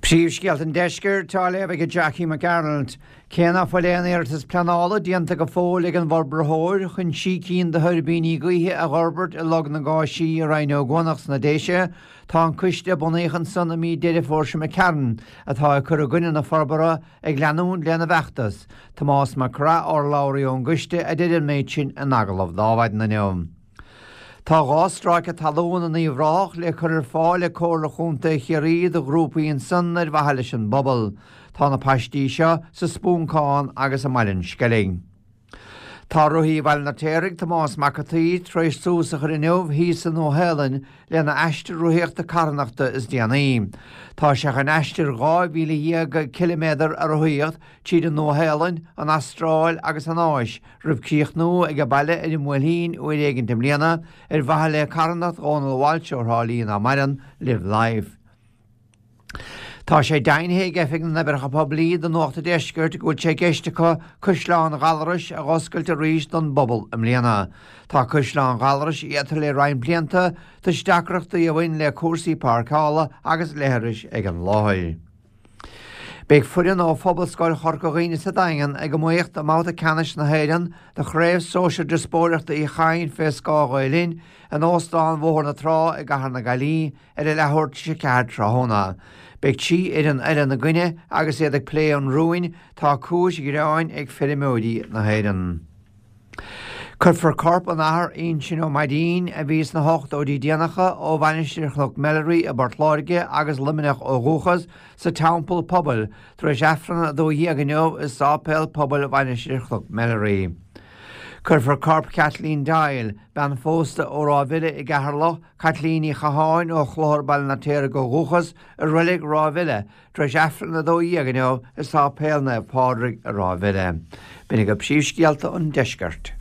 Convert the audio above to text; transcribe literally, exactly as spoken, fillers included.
Príomhscéalta an Deiscirt á léamh ag Jackie McArnold. Cé ná fuil aon iarratas pleanála déanta go fóill ag an bhforbraitheoir chun trí cinn de thuirbíní gaoithe a fhorbairt i Log na nGáisí i Rinn Ó gCuanach sna Déise, tá an coiste a bunaíodh ansan i mí Deireadh Fómhair seo imigh tharainn atá ag cur i gcoinne na forbartha ag leanúint lena bhfeachtas. Tomás Mac Craith, urlabhraí ón gcoiste, a deir an méid sin in agallamh d'Adhmhaidin inniu. Tá dhá stráice talún in Uíbh Ráthach le cur ar fáil ag Comhairle Chontae Chiarraí do ghrúpaí ansan ar mhaithe leis an bpobal. Tá na paistí seo sa Spúncán agus i mBaile an Sceilg. Tá rothaí Bhaile an Fheirtéaraigh Tomás Mac an tSaoi tar éis tús a chur inniu thíos sa Nua-Shéalainn lena aistear rothaíochta carthanachta is déanaí. Tá sé chun aistear dhá mhíle dhéag ciliméadar a rothaíocht tríd an Nua-Shéalainn, an Astráil agus an Áis, roimh críochnú ag baile ar an mBuailtín uair éigin i mbliana ar mhaithe le carthanacht Dhónal Walsh ó Thrá Lí nach maireann Live Life. Tá sé deimhnithe ag Oifig na nOibreacha Poiblí do Nuacht an Deiscirt go bhfuil sé i gceist acu Caisleán Ghallarais a dh'oscailt arís don bpobal i mbliana. Tá Caisleán Ghallarais iata le roinnt blianta toisc deacrachtaí a bhain le cúrsaí páirceála agus leithris ag an láthair. Beidh foireann ó Phobalscoil Chorca Dhuibhne sa Daingean ag iomaíocht i mbabhta ceannais na hÉireann do Chraobh Sóisir Díospóireachta Uí Chadhain fé scáth Ghael Linn in Óstán Bhóthar na Trá i gCathair na Gaillimhe ar a leathuair tar éis a ceathair tráthnóna. Beidh trí fhoireann eile ina gcoinne agus iad ag plé an rúin, tá cúis ghreáin ag feirmeoirí na hÉireann. Cuirfear corp an Athar Uinseann Ó Mainnín, a bhí sna hochtóidí déanacha, ó Mhainistir Chnoc Melleray i bPort Láirge agus Luimneach ó dhúchas, sa Teampall Pobail tar éis Aifreann a dó dhéag inniu i Sáipéal Pobail Mhainistir Chnoc Melleray. Cuirfear corp Kathleen Doyle, bean phósta ó Ráth Bhile i gCeatharlach, Caitlín Ní Chatháin ó Chlochar Baile an Fheirtéaraigh ó dhúchas, i Reilig Ráth Bhile tar éis Aifreann a dó dhéag inniu i Sáipéal Naomh Pádraig i Ráth Bhile. B'in agaibh príomhscéalta an Deiscirt.